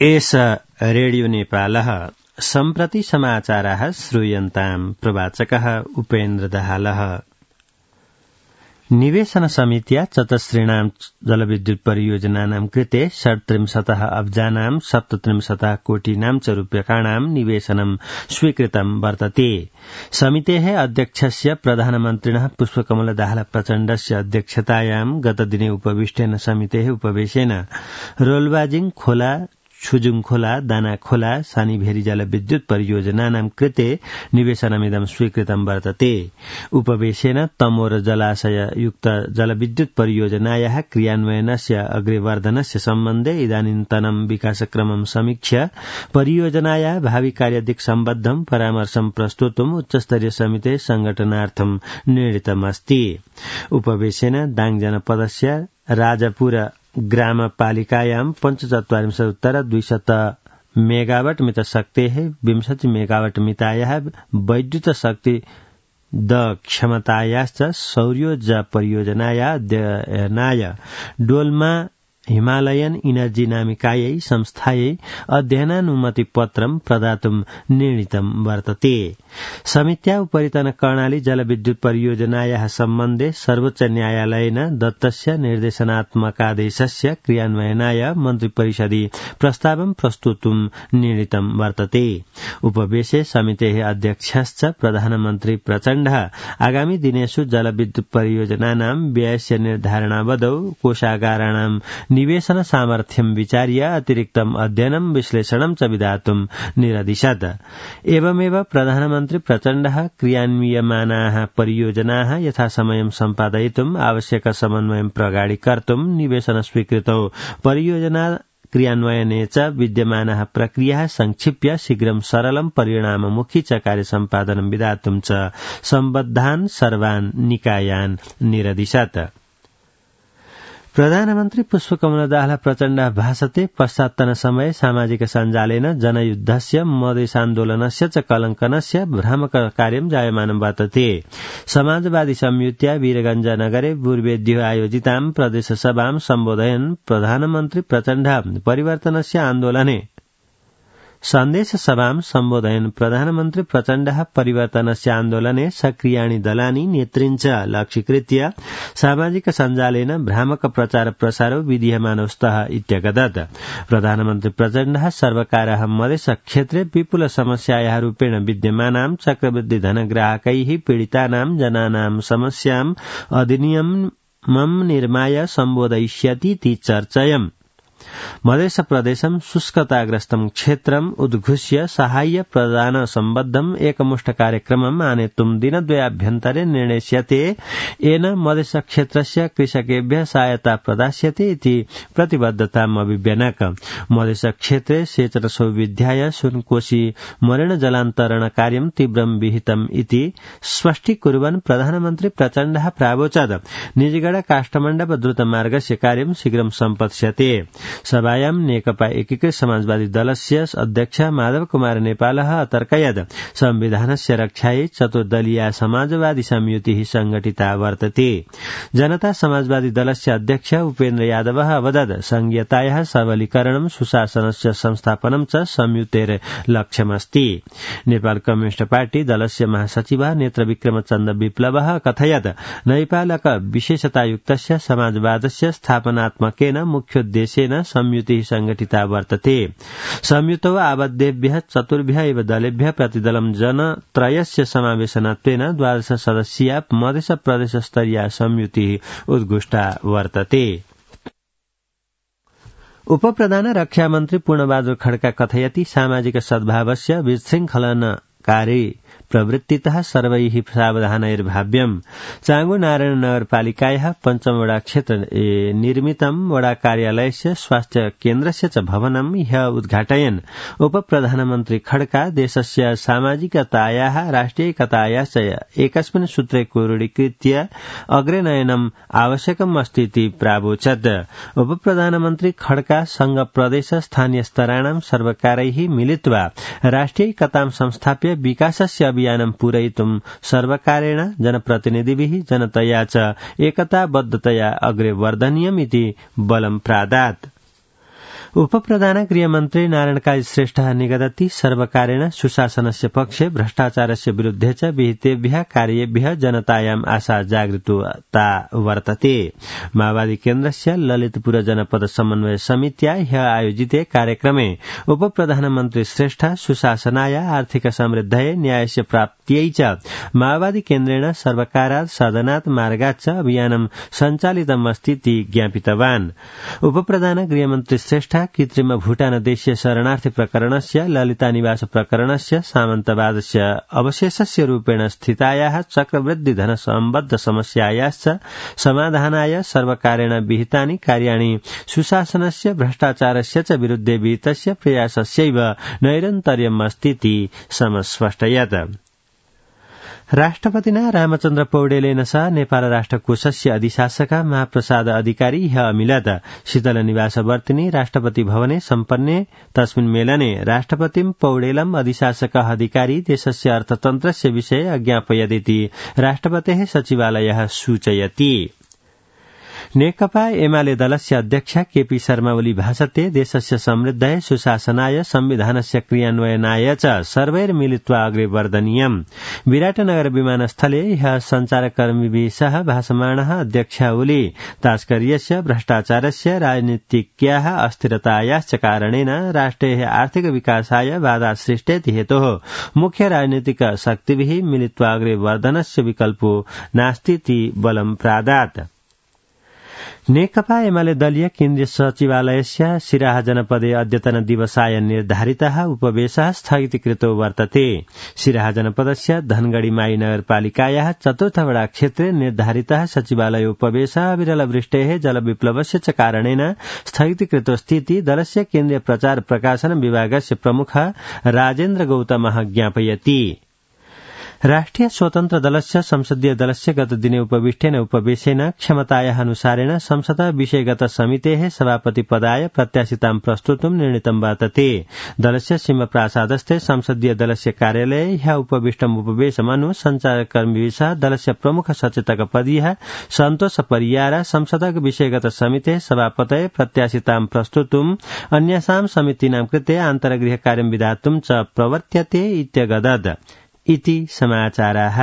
एष रेडियो नेपालः सम्प्रति समाचाराः श्रूयन्ताम् प्रवाचकः उपेन्द्र दाहालः। निवेशन समित्या चतस्रीणां जलविद्युत परियोजनानां कृते 37 अब्जानां 37 कोटीनां च रूप्यकाणां निवेशनं स्वीकृतं वर्तते। समितेः अध्यक्षस्य प्रधानमन्त्रिणः पुष्पकमल दाहाल प्रचण्डस्य अध्यक्षतायां गतदिने उपविष्टेन समितेः उपवेशेन रोल्बाजिङ खोला, छुजुङ खोला, दाना खोला, सानीभेरी जलविद्युत परियोजनानां कृते निवेशनमिदं स्वीकृतं वर्तते। उपवेशेन तमोर जलाशययुक्त जलविद्युत परियोजनायाः क्रियान्वयनस्य अग्रेवर्धनस्य सम्बन्धे इदानीन्तनं विकासक्रमं समीक्ष्य परियोजनायाः भावि कार्यदिक् सम्बद्धं परामर्शं प्रस्तुतुम् उच्चस्तरीय समितेः संघटनार्थं निर्णीतमस्ति। उपवेशेन दाङ जनपदस्य राजापुर ग्रामपालिकायां 45 मेगावाट मितशक्तेः 20 मेगावाट मितायाः वैद्युत शक्ति क्षमतायाश्च सौर्योर्जा परियोजनाया अध्ययनाय डोल्मा हिमालयन इनर्जी नामिकायै संस्थायै अध्ययनानुमति पत्रं प्रदातुं निर्णीतं वर्तते। समित्या उपरितन कर्णाली जलविद्युत परियोजनायाः सम्बन्धे सर्वोच्च न्यायालयेन दत्तस्य निर्देशनात्मकादेशस्य क्रियान्वयनाय मन्त्रिपरिषदि प्रस्तावं प्रस्तुतुं निर्णीतं वर्तते। उपवेशे समितेः अध्यक्षश्च प्रधानमन्त्री प्रचण्डः आगामी दिनेषु जलविद्युत परियोजनानां व्ययस्य निर्धारणावधौ कोषागाराणां निवेशन सामर्थ्यं विचार्य अतिरिक्तम् अध्ययनं विश्लेषणं च विधातुं निरदिशत्। एवमेव प्रधानमन्त्री प्रचण्डः क्रियान्वियमानाः परियोजनाः यथासमयं सम्पादयितुम् आवश्यक समन्वयं प्रगाढीकर्तुं निवेशन स्वीकृतौ परियोजना क्रियान्वयने च विद्यमानाः प्रक्रियाः संक्षिप्य शीघ्रं सरलं परिणाममुखी च कार्यसम्पादनं विधातुं च सम्बद्धान् सर्वान् निकायान् निरदिशत्। प्रधानमन्त्री पुष्पकमल दाहाल प्रचण्डः भाषते पश्चात्तन समय सामाजिक सञ्जालेन जनयुद्धस्य मधेसान्दोलनस्य च कलङ्कनस्य भ्रामक कार्यं जायमानं वर्तते। समाजवादी संयुत्या वीरगञ्ज नगरे पूर्वेद्यो आयोजितां प्रदेशसभां सम्बोधयन् प्रधानमन्त्री प्रचण्डः परिवर्तनस्य आन्दोलने सन्देश सभां सम्बोधयन् प्रधानमन्त्री प्रचण्डः परिवर्तनस्य आन्दोलने सक्रियाणि दलानि नेतृन् च लक्ष्यीकृत्य सामाजिक सञ्जालेन भ्रामक प्रचार प्रसारो विधीयमानो स्तः इत्यगदत्। प्रधानमन्त्री प्रचण्डः सर्वकारः मधेस क्षेत्रे विपुल समस्यायाः रूपेण विद्यमानां चक्रवृद्धि धनग्राहकैः पीडितानां जनानां समस्याम् अधिनियमं निर्माय सम्बोधयिष्यतीति चर्चयम्। मधेस प्रदेशं शुष्कताग्रस्तं क्षेत्रम् उद्घुष्य साहाय्य प्रदान सम्बद्धम् एकमुष्ट कार्यक्रमम् आनेतुं दिनद्वयाभ्यन्तरे निर्णेष्यते। येन मधेस क्षेत्रस्य कृषकेभ्यः सहायता प्रदास्यते इति प्रतिबद्धताम् अभिव्यनक। मधेस क्षेत्रे सेचन सौविध्याय सुनकोशी मरण जलान्तरण कार्यं तीव्रं विहितम् इति स्पष्टीकुर्वन् प्रधानमन्त्री प्रचण्डः प्रावोचत् निजगढ काष्ठमण्डप द्रुतमार्गस्य कार्यं शीघ्रं सम्पत्स्यते। सभायां नेकपा एकीकृत समाजवादी दलस्य अध्यक्ष माधव कुमार नेपालः अतर्कयत् संविधानस्य रक्षायै चतुर्दलीया समाजवादी संयुतिः संघटिता वर्तते। जनता समाजवादी दलस्य अध्यक्ष उपेन्द्र यादवः अवदत् संघीयतायाः सबलीकरणं सुशासनस्य संस्थापनं च संयुतेर लक्ष्यमस्ति। नेपाल कम्युनिस्ट पार्टी दलस्य महासचिवः नेत्र विक्रमचन्द्र विप्लवः कथयत् नैपालक विशेषतायुक्तस्य समाजवादस्य स्थापनात्मकेन मुख्योद्देश्येन संयुतिः संघटिता वर्तते। संयुतौ आबद्धेभ्यः चतुर्भ्यः एव दलेभ्यः प्रतिदलं जनत्रयस्य समावेशनत्वेन 12 सदस्यीया मधेस प्रदेश स्तरीया संयुतिः उद्घुष्टा वर्तते। उपप्रधान रक्षामन्त्री पूर्णबहादुर खड्का कथयति सामाजिक सद्भावस्य विशृङ्खलनकारी प्रवृत्तितः सर्वैः सावधानैर्भाव्यम्। चांगु नारायण नगरपालिकायाः पञ्चम वडा क्षेत्र निर्मितं वडा कार्यालयस्य स्वास्थ्य केन्द्रस्य च भवनं ह्यः उद्घाटयन् उपप्रधानमन्त्री खड्का देशस्य सामाजिकतायाः राष्ट्रियैकतायाश्च एकस्मिन् सूत्रे क्रोडीकृत्य अग्रे नयनम् आवश्यकम् अस्ति इति प्रावोचत्। उपप्रधानमन्त्री खड्का संघ प्रदेश स्थानीय स्तराणां सर्वकारैः मिलित्वा राष्ट्रियैकतां संस्थाप्य विकासस्य अभियानं पूरयितुं सर्वकारेण जनप्रतिनिधिभिः जनतया च एकताबद्धतया अग्रे वर्धनीयम् इति बलं प्रादात्। उपप्रधान गृहमन्त्री नारायण काजी श्रेष्ठः निगदति सर्वकारेण सुशासनस्य पक्षे भ्रष्टाचारस्य विरुद्धे च विहितेभ्यः कार्येभ्यः जनतायाम् आशा जागृता वर्तते। माओवादी केन्द्रस्य ललितपुर जनपद समन्वय समित्या ह्यः आयोजिते कार्यक्रमे उपप्रधानमन्त्री श्रेष्ठः सुशासनाय आर्थिक समृद्धये न्यायस्य प्राप्त्यै च माओवादी केन्द्रेण सर्वकारात् सदनात् मार्गात् च अभियानं सञ्चालितमस्तीति ज्ञापितवान्। उपप्रधान गृहमन्त्री श्रेष्ठ कृत्रिम भूटान देशीय शरणार्थी प्रकरणस्य ललिता निवास प्रकरणस्य सामन्तवादस्य अवशेषस्य रूपेण स्थितायाः चक्रवृद्धि धन सम्बद्ध समस्यायाश्च समाधानाय सर्वकारेण विहितानि कार्याणि सुशासनस्य भ्रष्टाचारस्य च विरुद्धे विहितस्य प्रयासस्यैव नैरन्तर्यमस्तीति समस्पष्टयत्। राष्ट्रपतिना रामचन्द्र पौडेलेन सह नेपाल राष्ट्रकोषस्य अधिशासक महाप्रसाद अधिकारी ह्यः अमिलत शीतलनिवासवर्तिनि राष्ट्रपति भवने सम्पन्ने तस्मिन् मेलने राष्ट्रपतिं पौडेलम् अधिशासकः अधिकारी देशस्य अर्थतन्त्रस्य विषये अज्ञापयदिति राष्ट्रपतेः सचिवालयः सूचयति। नेकपा एमाले दलस्य अध्यक्ष केपी शर्मा ओली भाषते देशस्य समृद्धये सुशासनाय संविधानस्य क्रियान्वयनाय च सर्वैर्मिलित्वा अग्रे वर्धनीयम्। विराटनगर विमानस्थले ह्यः सञ्चारकर्मिभिः सह भाषमाणः अध्यक्ष ओली तास्कर्यस्य भ्रष्टाचारस्य राजनीतिक्याः अस्थिरतायाश्च कारणेन राष्ट्रेः आर्थिक विकासाय बाधा सृष्टेति हेतोः मुख्य राजनीतिक शक्तिभिः मिलित्वा अग्रे वर्धनस्य विकल्पो नास्तीति बलं प्रादात्। नेकपा एमाले दलीय केन्द्रीय सचिवालयस्य सिराहा जनपदे अद्यतन दिवसाय निर्धारितः उपवेशः स्थगितीकृतो वर्तते। सिराहा जनपदस्य धनगढ़ी माई नगरपालिकायाः चतुर्थवडा क्षेत्रे निर्धारितः सचिवालय उपवेशः विरलवृष्टेः जलविप्लवस्य च कारणेन स्थगितीकृतोऽस्तीति दलस्य केन्द्रीय प्रचार प्रकाशन विभागस्य प्रमुख राजेन्द्र गौतमः ज्ञापयति। राष्ट्रिय स्वतन्त्र दलस्य संसदीय दलस्य गतदिने उपविष्टेन उपवेशेन क्षमतायाः अनुसारेण संसद विषयगत समितेः सभापति पदाय प्रत्याशितां प्रस्तुतुं निर्णीतं वर्तते। दलस्य सिंहप्रासादस्थे संसदीय दलस्य कार्यालये ह्यः उपविष्टम् उपवेशमनु सञ्चारकर्मिभिः सह दलस्य प्रमुख सचेतक पदीयः सन्तोष परियार संसदक विषयगत समितेः सभापतये प्रत्याशितां प्रस्तुतुम् अन्यासां समितीनां कृते आन्तरगृह कार्यं विधातुं च प्रवर्त्यते इत्यगदत् इति समाचाराः।